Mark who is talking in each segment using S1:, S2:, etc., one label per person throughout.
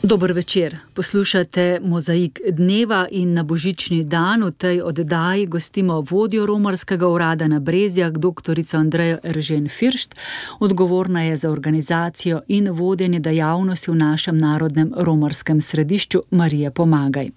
S1: Dober večer. Poslušate Mozaik dneva in na božični dan v tej oddaji gostimo vodjo romarskega urada na Brezjah, doktorico Andrejo Eržen-Firšt. Odgovorna je za organizacijo in vodenje dejavnosti v našem narodnem romarskem središču Marija Pomagaj.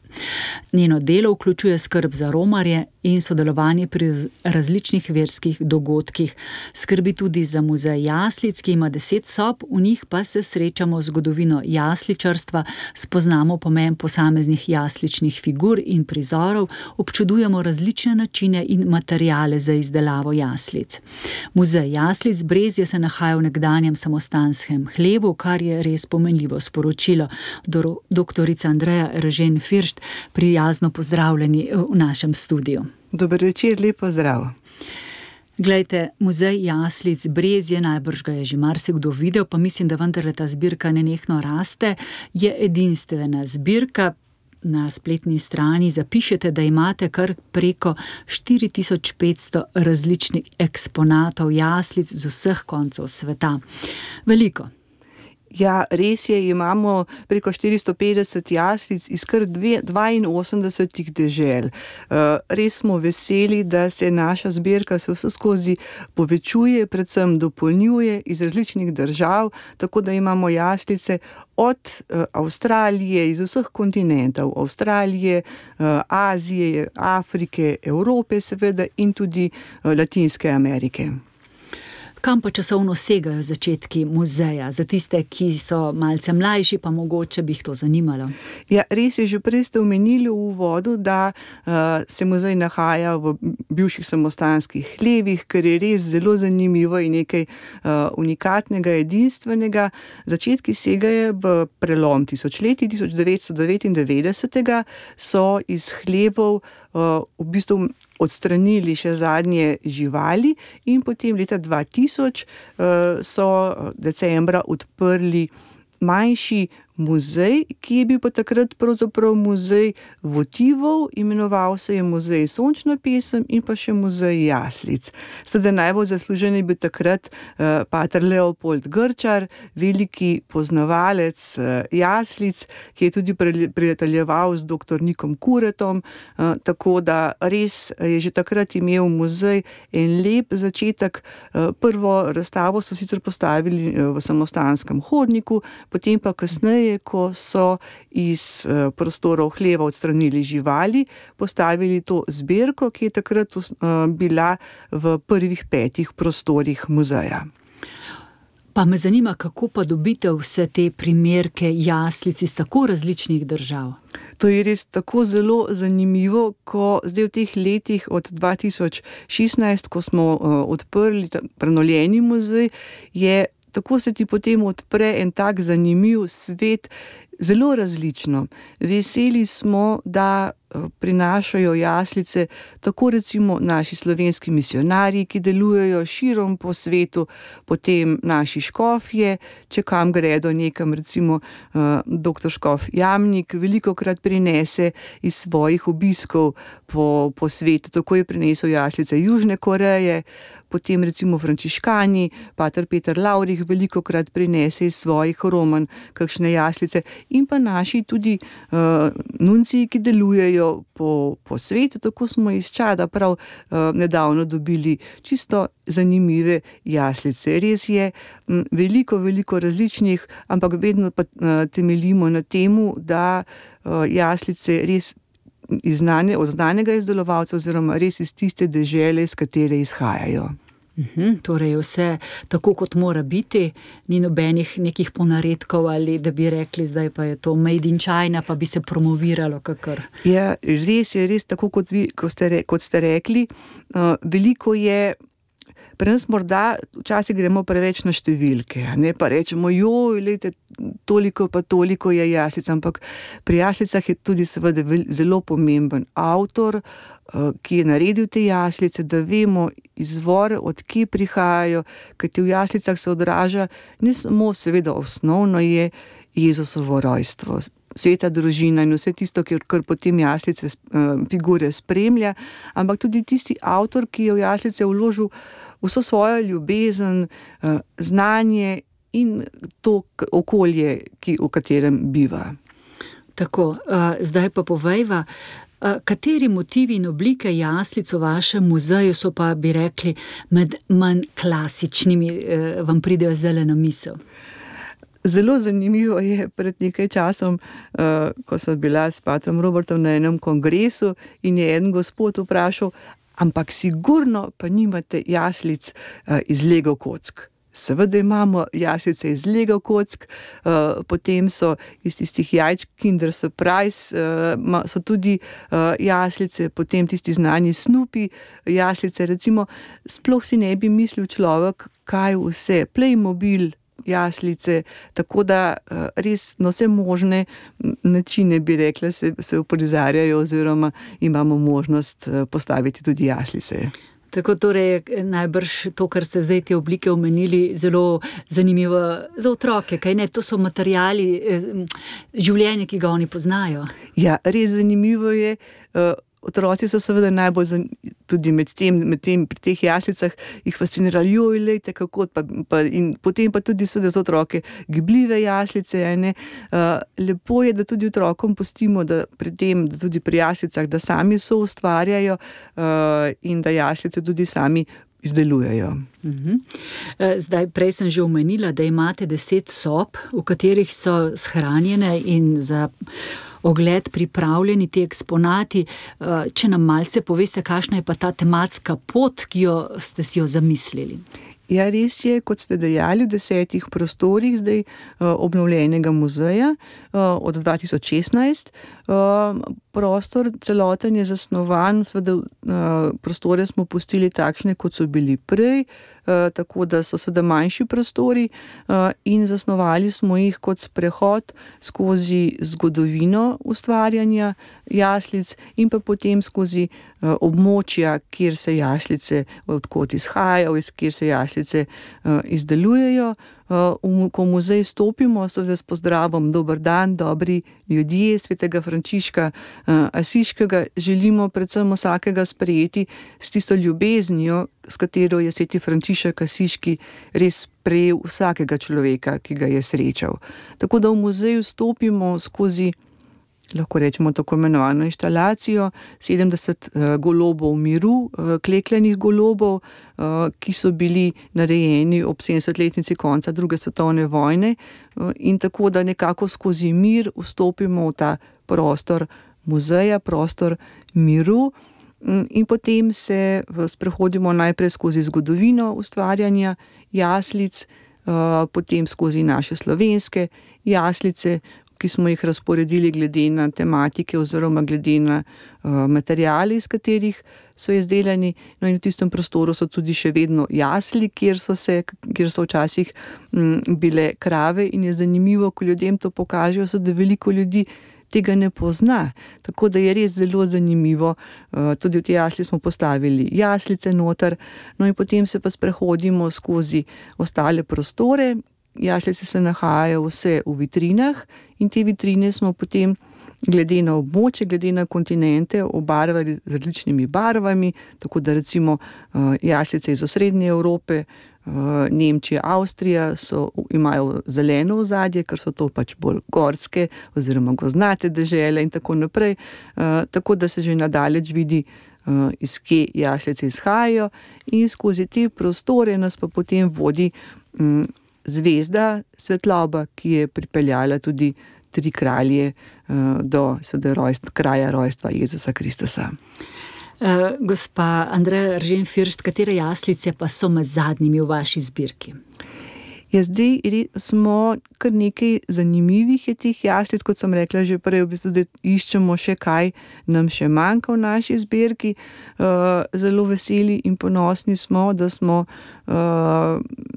S1: Njeno delo vključuje skrb za romarje in sodelovanje pri različnih verskih dogodkih. Skrbi tudi za muzej jaslic, ki ima 10 sob, v njih pa se srečamo z zgodovino jasličarstva, spoznamo pomen posameznih jasličnih figur in prizorov, občudujemo različne načine in materiale za izdelavo jaslic. Muzej jaslic Brezje se nahaja v nekdanjem samostanskem hlevu, kar je res pomenljivo sporočilo. Doktorica Andreja Eržen-Firšt, prijazno pozdravljeni v našem studiu.
S2: Dober večer, lep pozdrav.
S1: Glejte, muzej jaslic Brezje, najbrž ga je že marsikdo videl, pa mislim, da vendarle ta zbirka nenehno raste, je edinstvena zbirka. Na spletni strani zapišete, da imate kar preko 4500 različnih eksponatov jaslic z vseh koncev sveta. Veliko.
S2: Ja, res je, imamo preko 450 jaslic iz kar 82 dežel. Res smo veseli, da se naša zbirka vseskozi povečuje, predvsem dopolnjuje iz različnih držav, tako da imamo jaslice od Avstralije, iz vseh kontinentov, Avstralije, Azije, Afrike, Evrope seveda in tudi Latinske Amerike.
S1: Kam pa časovno segajo začetki muzeja? Za tiste, ki so malce mlajši, pa mogoče bi jih to zanimalo.
S2: Ja, res je, že prej ste omenili v uvodu, da se muzej nahaja v bivših samostanskih hlevih, kar je res zelo zanimivo in nekaj unikatnega, edinstvenega. Začetki segajo v prelom tisočletij, 1999 so iz hlevov v bistvu odstranili še zadnje živali in potem leta 2000 so decembra odprli manjši muzej, ki je bil pa takrat pravzaprav muzej votivov, imenoval se je Muzej Sončna pesem in pa še Muzej jaslic. Sedaj najbolj zaslužen je bil takrat pater Leopold Grčar, veliki poznavalec jaslic, ki je tudi prijateljeval z dr. Nikom Kuretom, tako da res je že takrat imel muzej en lep začetek. Prvo razstavo so sicer postavili v samostanskem hodniku, potem pa kasneje, ko so iz prostorov hleva odstranili živali, postavili to zbirko, ki je takrat bila v prvih 5 prostorih muzeja.
S1: Pa me zanima, kako pa dobite vse te primerke jaslic iz tako različnih držav?
S2: To je res tako zelo zanimivo, ko zdaj v teh letih od 2016, ko smo odprli prenovljeni muzej, tako se ti potem odpre en tak zanimiv svet, zelo različno. Veseli smo, da prinašajo jaslice tako recimo naši slovenski misionarji, ki delujejo širom po svetu, potem naši škofje, če kam gredo nekam, recimo dr. Škof Jamnik velikokrat prinese iz svojih obiskov po svetu, tako je prinesel jaslice Južne Koreje, potem recimo frančiškani, pater Peter Lavrih velikokrat prinese iz svojih roman kakšne jaslice in pa naši tudi nunciji, ki delujejo po svetu, tako smo iz Čada prav nedavno dobili čisto zanimive jaslice. Res je veliko različnih, ampak vedno pa temeljimo na temu, da jaslice res od znanega izdelovalca oziroma res iz tiste dežele, iz katere izhajajo.
S1: Torej vse tako, kot mora biti, ni nobenih nekih ponaredkov ali da bi rekli, zdaj pa je to made in China, pa bi se promoviralo kakor.
S2: Ja, res je, tako kot ste rekli, veliko je. Pri nas morda včasih gremo preveč na številke, ne, pa rečemo, lejte, toliko je jaslic, ampak pri jaslicah je tudi seveda zelo pomemben avtor, ki je naredil te jaslice, da vemo izvor, od kje prihajajo, kajti v jaslicah se odraža ne samo seveda osnovno je Jezusovo rojstvo, sveta družina in vse tisto, kar potem jaslice figure spremlja, ampak tudi tisti avtor, ki je v jaslice vložil vso svojo ljubezen, znanje in to okolje, v katerem biva.
S1: Tako, zdaj pa povejva, kateri motivi in oblike jaslic v vašem muzeju so pa, bi rekli, med manj klasičnimi, vam pridejo zdajle na misel?
S2: Zelo zanimivo je pred nekaj časom, ko sem bila s patrom Robertom na enem kongresu in je en gospod vprašal, ampak sigurno pa nimate jaslic iz Lego kock. Seveda imamo jaslice iz Lego kock, potem so iz tistih jajčk Kinder Surprise, so tudi jaslice, potem tisti znani Snoopy jaslice, recimo, sploh si ne bi mislil človek, kaj vse, Playmobil jaslice, tako da res na vse možne načine, bi rekla, se uprizarjajo oziroma imamo možnost postaviti tudi jaslice.
S1: Tako torej najbrž to, kar ste zdaj te oblike omenili, zelo zanimivo za otroke, kaj ne? To so materiali življenja, ki ga oni poznajo. Ja, res zanimivo je. Otroci so seveda najbolj tudi med tem pri teh jaslicah jih fascinirali, lejte kako, in potem pa tudi seveda za otroke gibljive jaslice, ne. Lepo je, da tudi otrokom pustimo, da tudi pri jaslicah, da sami soustvarjajo in da jaslice tudi sami izdelujejo. Zdaj, prej sem že omenila, da imate 10 sob, v katerih so shranjene in za ogled pripravljeni ti eksponati. Če nam malce poveste, kakšna je pa ta tematska pot, ki ste si jo zamislili? Ja, res je, kot ste dejali, v 10 prostorih zdaj obnovljenega muzeja od 2016. Prostor celoten je zasnovan, seveda prostore smo pustili takšne, kot so bili prej, tako da so seveda manjši prostori in zasnovali smo jih kot sprehod skozi zgodovino ustvarjanja jaslic in pa potem skozi območja, kjer se jaslice, odkot izhajajo, kjer se jaslice izdelujejo. Ko v muzej stopimo, seveda s pozdravom dober dan, dobri ljudje svetega Frančiška Asiškega, želimo predvsem vsakega sprejeti s tisto ljubeznijo, s katero je sveti Frančišek Asiški res sprejel vsakega človeka, ki ga je srečal. Tako da v muzeju stopimo skozi, lahko rečemo, tako imenovano inštalacijo 70 golobov miru, klekljanih golobov, ki so bili narejeni ob 70-letnici konca druge svetovne vojne, in tako da nekako skozi mir vstopimo v ta prostor muzeja, prostor miru, in potem se sprehodimo najprej skozi zgodovino ustvarjanja jaslic, potem skozi naše slovenske jaslice, ki smo jih razporedili glede na tematike oziroma glede na materiale, iz katerih so izdelani. No, in v tistem prostoru so tudi še vedno jasli, kjer so včasih bile krave, in je zanimivo, ko ljudem to pokažejo, da veliko ljudi tega ne pozna. Tako da je res zelo zanimivo. Tudi v te jasli smo postavili jaslice noter, no in potem se pa sprehodimo skozi ostale prostore. Jaslice se nahajajo vse v vitrinah in te vitrine smo potem glede na območje, glede na kontinente obarvali z različnimi barvami, tako da recimo jaslice iz osrednje Evrope, Nemčija, Avstrija imajo zeleno ozadje, ker so to pač bolj gorske oziroma gozdnate dežele in tako naprej, tako da se že nadaleč vidi, iz kje jaslice izhajajo, in skozi te prostore nas pa potem vodi zvezda svetloba, ki je pripeljala tudi 3 kralje do kraja rojstva Jezusa Kristusa. Gospa Andreja Eržen Firšt, katere jaslice pa so med zadnjimi v vaši zbirki? Ja, zdaj smo kar nekaj zanimivih je teh jaslic, kot sem rekla že prej, v bistvu zdaj iščemo še kaj nam še manjka v naši zbirki. Zelo veseli in ponosni smo, da smo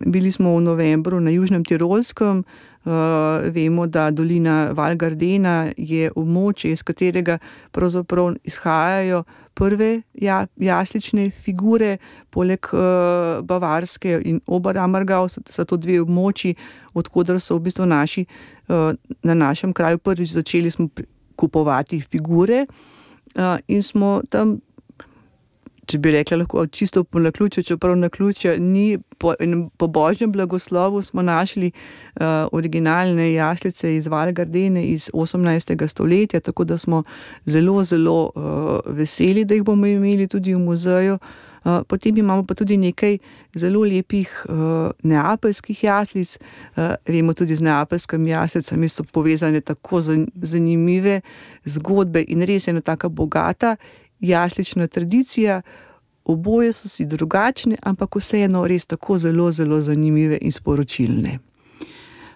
S1: bili v novembru na Južnem Tirolskem. Vemo, da dolina Val Gardena je območje, iz katerega pravzaprav izhajajo prve jaslične figure, poleg Bavarske in Oberammergau so to 2 območji, odkoder so v bistvu na našem kraju prvič začeli smo kupovati figure, in smo tam
S2: če bi rekla, lahko čisto po naključju, čeprav naključja ni, po božjem blagoslovu smo našli originalne jaslice iz Val Gardene iz 18. stoletja, tako da smo zelo, zelo veseli, da jih bomo imeli tudi v muzeju. Potem imamo pa tudi nekaj zelo lepih neapeljskih jaslic. Vemo tudi z neapeljskimi jaslicami so povezane tako zanimive zgodbe in res ena taka bogata jaslična tradicija. Oboje so si drugačne, ampak vseeno res tako zelo, zelo zanimive in sporočilne.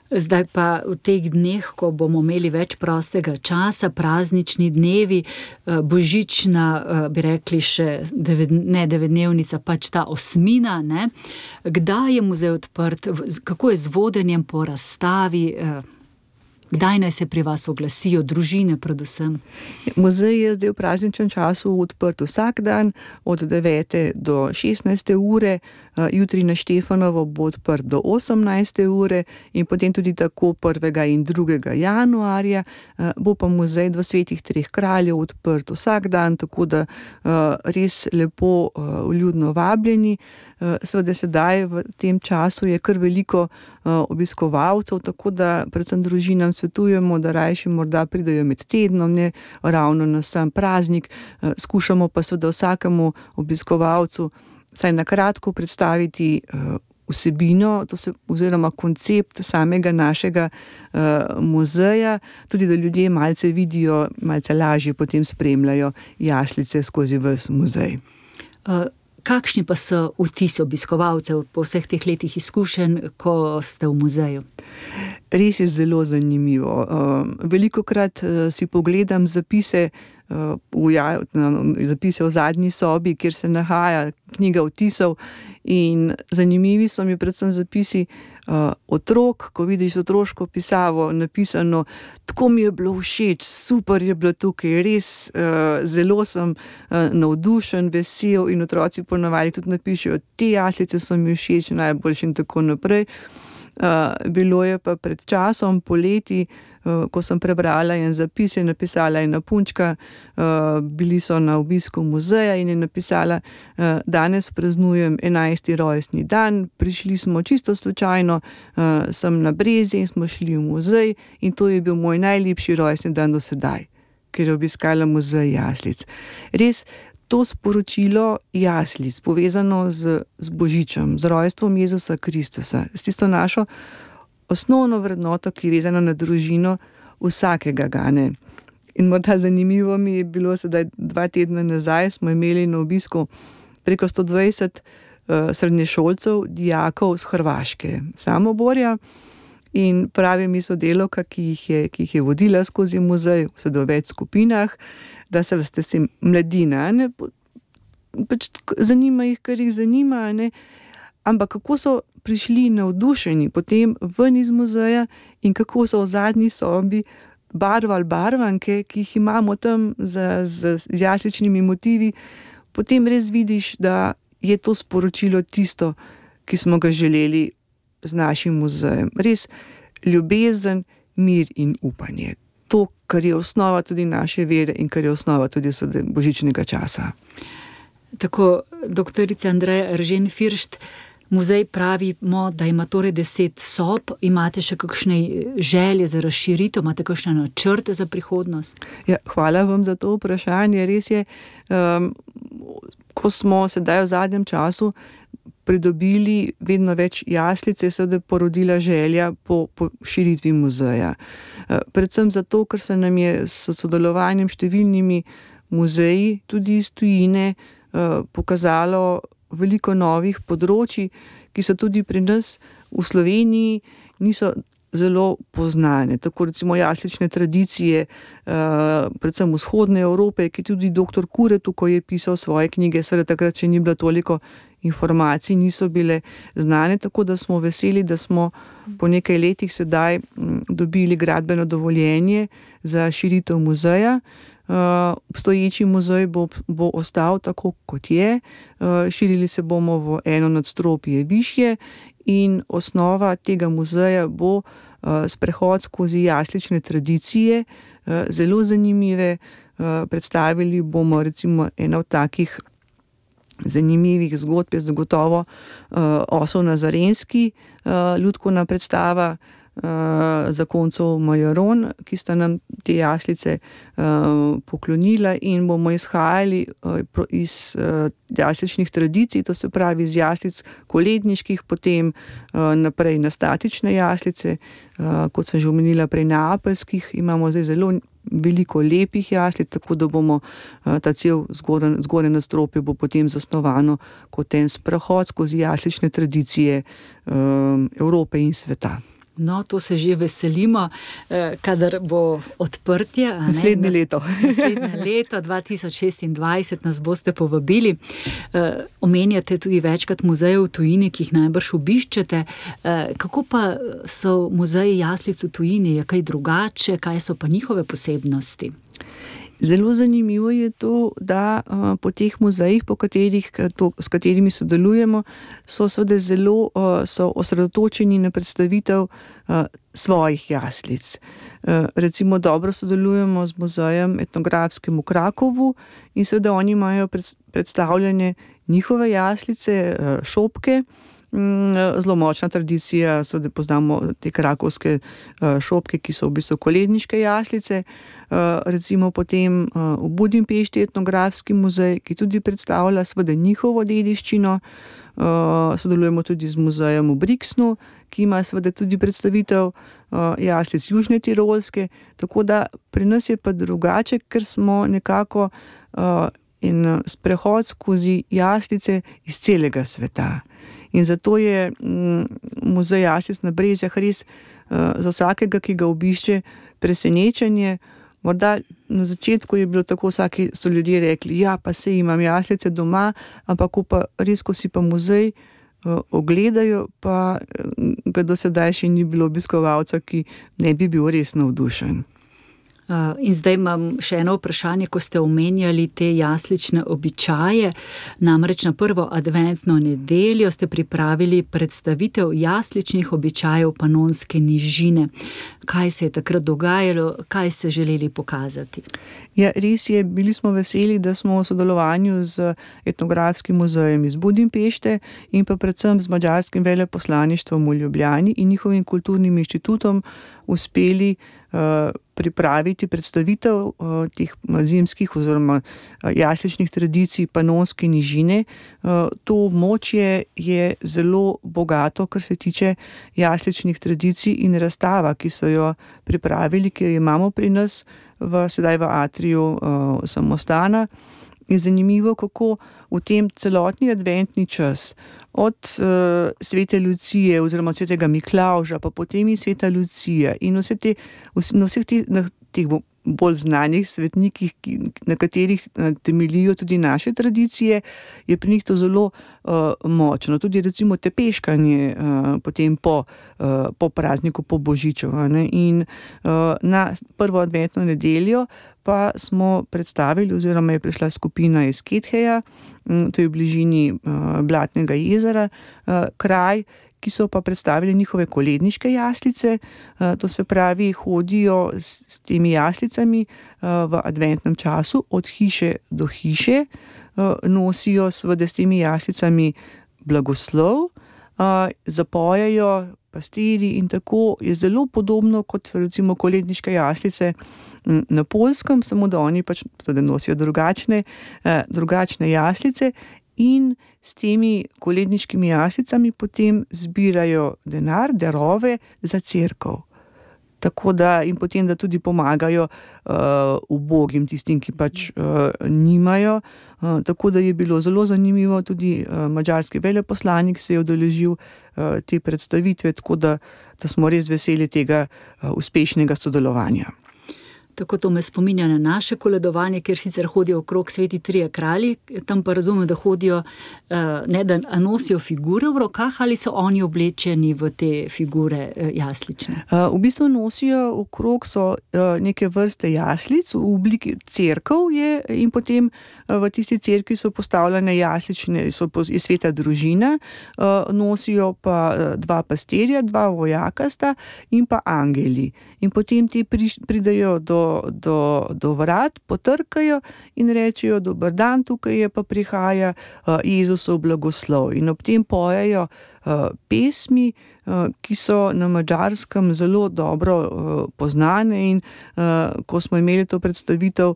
S1: Zdaj pa v teh dneh, ko bomo imeli več prostega časa, praznični dnevi, božična, bi rekli še, ne devetdnevnica, pač ta osmina, ne? Kdaj je muzej odprt, kako je z vodenjem po razstavi, kdaj naj se pri vas oglasijo, družine predvsem?
S2: Muzej je zdaj v prazničnem času odprt vsak dan od 9. do 16. ure, jutri na Štefanovo bo odprt do 18. ure in potem tudi tako 1. in 2. januarja. Bo pa muzej Svetih treh kraljev odprt vsak dan, tako da res lepo vljudno vabljeni. Seveda sedaj v tem času je kar veliko obiskovalcev, tako da predvsem družinam svetujemo, da rajši morda pridejo med tednom, ne ravno na sam praznik. Skušamo pa seveda vsakemu obiskovalcu vsaj na kratko predstaviti vsebino, oziroma koncept samega našega muzeja, tudi da ljudje malce vidijo, malce lažje potem spremljajo jaslice skozi ves muzej.
S1: Kakšni pa so vtisi obiskovalcev po vseh teh letih izkušenj, ko ste v muzeju?
S2: Res je zelo zanimivo. Velikokrat si pogledam zapise v zadnji sobi, kjer se nahaja knjiga vtisov, in zanimivi so mi predvsem zapisi otrok, ko vidiš otroško pisavo napisano, tako mi je bilo všeč, super je bilo tukaj, res zelo sem navdušen, vesel, in otroci ponavadi tudi napišejo, te jaslice so mi všeč, najboljše in tako naprej. Bilo je pa pred časom, poleti, ko sem prebrala en zapis, je napisala ena punčka, bili so na obisku muzeja in je napisala, danes praznujem 11. rojstni dan, prišli smo čisto slučajno sem na Brezje in smo šli v muzej in to je bil moj najlepši rojstni dan do sedaj, ker je obiskala muzej jaslic. Res, to sporočilo jaslic, povezano z Božičem, z rojstvom Jezusa Kristusa, s tisto našo osnovno vrednoto, ki je vezana na družino vsakega gane. In morda zanimivo mi je bilo sedaj 2 tedna nazaj, smo imeli na obisku preko 120 srednješolcev, dijakov z Hrvaške, Samoborja, in pravi mi sodelavka, ki jih je vodila skozi muzej, v več skupinah, da se mladina, ne, pač zanima jih, kar jih zanima, ne, ampak kako so prišli navdušeni potem ven iz muzeja in kako so v zadnji sobi barvali barvanke, ki jih imamo tam z jasličnimi motivi, potem res vidiš, da je to sporočilo tisto, ki smo ga želeli z našim muzejem. Res ljubezen, mir in upanje. To, kar je osnova tudi naše vere in kar je osnova tudi božičnega časa.
S1: Tako, doktorica Andreja Eržen Firšt, muzej pravimo, da ima torej 10 sob. Imate še kakšne želje za razširitev, imate kakšne načrte za prihodnost?
S2: Ja, hvala vam za to vprašanje. Res je, ko smo sedaj v zadnjem času pridobili vedno več jaslic, je seveda porodila želja po širitvi muzeja. Predvsem zato, ker se nam je s sodelovanjem številnimi muzeji, tudi iz tujine, pokazalo veliko novih področij, ki so tudi pri nas v Sloveniji niso zelo poznane. Tako recimo jaslične tradicije, predvsem vzhodne Evrope, ki tudi dr. Kuretu, ko je pisal svoje knjige, seveda takrat še ni bilo toliko informacij, niso bile znane, tako da smo veseli, da smo po nekaj letih sedaj dobili gradbeno dovoljenje za širitev muzeja. Obstoječi muzej bo ostal tako, kot je. Širili se bomo v eno nadstropje višje in osnova tega muzeja bo sprehod skozi jaslične tradicije, zelo zanimive. Predstavili bomo recimo eno od takih zanimivih zgodb je zagotovo Osel Nazarenski, lutkovna predstava zakoncev Majaron, ki sta nam te jaslice poklonila, in bomo izhajali iz jasličnih tradicij, to se pravi iz jaslic koledniških, potem naprej na statične jaslice, kot sem že omenila prej neapeljskih, imamo zdaj zelo veliko lepih jaslic, tako da bomo ta cel zgornje nadstropje bo potem zasnovano kot en sprehod skozi jaslične tradicije Evrope in sveta.
S1: No, to se že veselimo, kadar bo odprtje.
S2: Naslednje leto.
S1: Naslednje leto, 2026, nas boste povabili. Omenjate tudi večkrat muzeje v tujini, ki jih najbrž obiščete. Kako pa so muzeji jaslic v tujini? Je kaj drugače? Kaj so pa njihove posebnosti?
S2: Zelo zanimivo je to, da po teh muzejih, s katerimi sodelujemo, so seveda zelo osredotočeni na predstavitev svojih jaslic. Recimo dobro sodelujemo z muzejem etnografskim v Krakovu in seveda oni imajo predstavljene njihove jaslice, šopke. Zelo močna tradicija, seveda poznamo te krakovske šopke, ki so v bistvu koledniške jaslice. Recimo potem v Budimpešti etnografski muzej, ki tudi predstavlja seveda njihovo dediščino. Sodelujemo tudi z muzejem v Brixnu, ki ima seveda tudi predstavitev jaslic Južne Tirolske, tako da pri nas je pa drugače, ker smo nekako en sprehod skozi jaslice iz celega sveta. In zato je muzej jaslic na Brezjah res za vsakega, ki ga obišče, presenečenje. Morda na začetku je bilo tako, so ljudje rekli, ja, pa saj imam jaslice doma, ampak ko si pa muzej ogledajo, pa ga do sedaj še ni bilo obiskovalca, ki ne bi bil res navdušen.
S1: In zdaj imam še eno vprašanje, ko ste omenjali te jaslične običaje. Namreč na prvo adventno nedeljo ste pripravili predstavitev jasličnih običajev Panonske nižine. Kaj se je takrat dogajalo, kaj ste želeli pokazati?
S2: Ja, res je, bili smo veseli, da smo v sodelovanju z etnografskim muzejem iz Budimpešte in pa predvsem z madžarskim veleposlaništvom v Ljubljani in njihovim kulturnim inštitutom uspeli pripraviti predstavitev teh zimskih oziroma jasličnih tradicij Panonske nižine. To območje je zelo bogato, kar se tiče jasličnih tradicij, in razstava, ki so jo pripravili, ki jo imamo pri nas sedaj v atriju samostana, je zanimivo, kako v tem celotni adventni čas od svete Lucije oziroma svetega Miklavža, pa potem in sveta Lucija in vseh teh bolj znanih svetnikih, na katerih temeljijo tudi naše tradicije, je pri njih to zelo močno. Tudi recimo tepeškanje potem po prazniku, po Božiču. In na prvo adventno nedeljo pa smo predstavili, oziroma je prišla skupina iz Ketheja, to je v bližini Blatnega jezera, kraj, ki so pa predstavili njihove koledniške jaslice. To se pravi, hodijo s temi jaslicami v adventnem času od hiše do hiše, nosijo seveda s temi jaslicami blagoslov, zapojejo pastirji in tako je zelo podobno kot recimo koledniške jaslice na Poljskem, samo da oni pač tudi nosijo drugačne jaslice in s temi koledniškimi jaslicami potem zbirajo denar, darove za cerkev. Tako da in potem, da tudi pomagajo ubogim, tistim, ki pač nimajo. Tako da je bilo zelo zanimivo, tudi madžarski veleposlanik se je udeležil te predstavitve, tako da smo res veseli tega uspešnega sodelovanja.
S1: Tako to me spominja na naše koledovanje, kjer sicer hodijo okrog sveti trije kralji, tam pa razumem, da hodijo, ne da nosijo figure v rokah, ali so oni oblečeni v te figure jaslične?
S2: V bistvu nosijo okrog neke vrste jaslic, v obliki cerkev je, in potem v tisti cerkvi so postavljene jaslične, je sveta družina, nosijo pa dva pastirja, dva vojaka sta in pa angeli. In potem ti pridejo do do vrat, potrkajo in rečejo: dober dan, tukaj je pa prihaja Jezusov blagoslov. In ob tem pojejo pesmi, ki so na Madžarskem zelo dobro poznane, in ko smo imeli to predstavitev,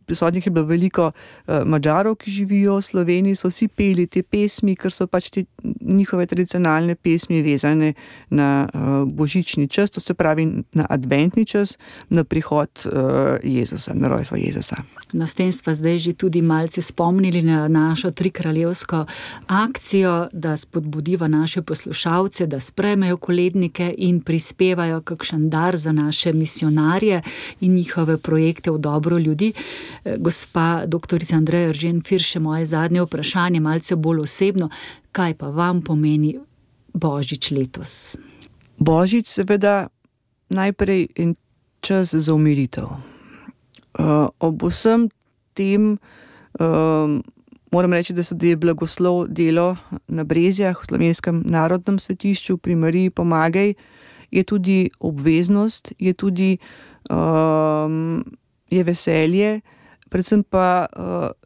S2: prisotnih je bilo veliko Madžarov, ki živijo v Sloveniji, so vsi peli te pesmi, ker so pač te njihove tradicionalne pesmi vezane na božični čas, to se pravi na adventni čas, na prihod Jezusa, na rojstvo Jezusa.
S1: No, s tem sva zdaj že tudi malce spomnili na našo trikraljevsko akcijo, da spodbudiva naše poslušalce, da sprejmejo kolednike in prispevajo kakšen dar za naše misionarje in njihove projekte v dobro ljudi. Gospa doktorica Andreja Eržen Firšt, še moje zadnje vprašanje, malce bolj osebno. Kaj pa vam pomeni Božič letos?
S2: Božič seveda najprej en čas za umiritev. Ob vsem tem moram reči, da je blagoslov delo na Brezjah, v Slovenskem narodnem svetišču pri Mariji Pomagaj, je tudi obveznost, je tudi je veselje, predvsem pa,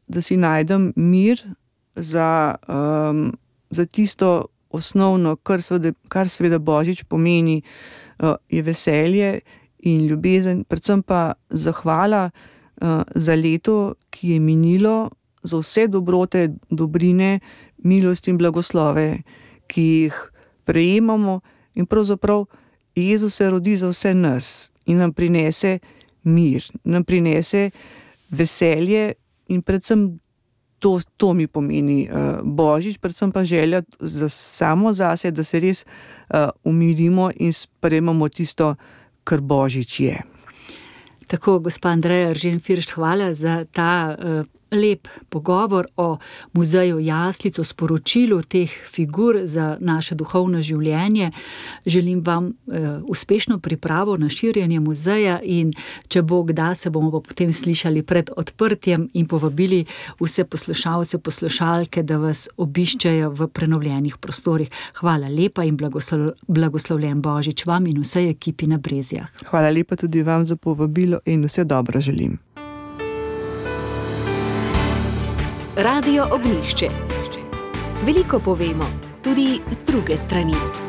S2: da si najdem mir za tisto osnovno, kar seveda Božič pomeni, je veselje in ljubezen, predvsem pa zahvala za leto, ki je minilo, za vse dobrote, dobrine, milost in blagoslove, ki jih prejemamo, in pravzaprav Jezus se rodi za vse nas in nam prinese mir, nam prinese veselje, in predvsem to mi pomeni Božič, predvsem pa želja samo zase, da se res umirimo in sprejmemo tisto, kar Božič je.
S1: Tako, gospa Andreja Eržen Firšt, hvala za ta lep pogovor o muzeju jaslic, o sporočilu teh figur za naše duhovno življenje. Želim vam uspešno pripravo na širjenje muzeja, in če bo kdaj, se bomo potem slišali pred odprtjem in povabili vse poslušalce, poslušalke, da vas obiščejo v prenovljenih prostorih. Hvala lepa in blagoslovljen Božič vam in vsej ekipi na Brezjah.
S2: Hvala lepa tudi vam za povabilo in vse dobro želim.
S3: Radio Ognjišče. Veliko povemo, tudi z druge strani.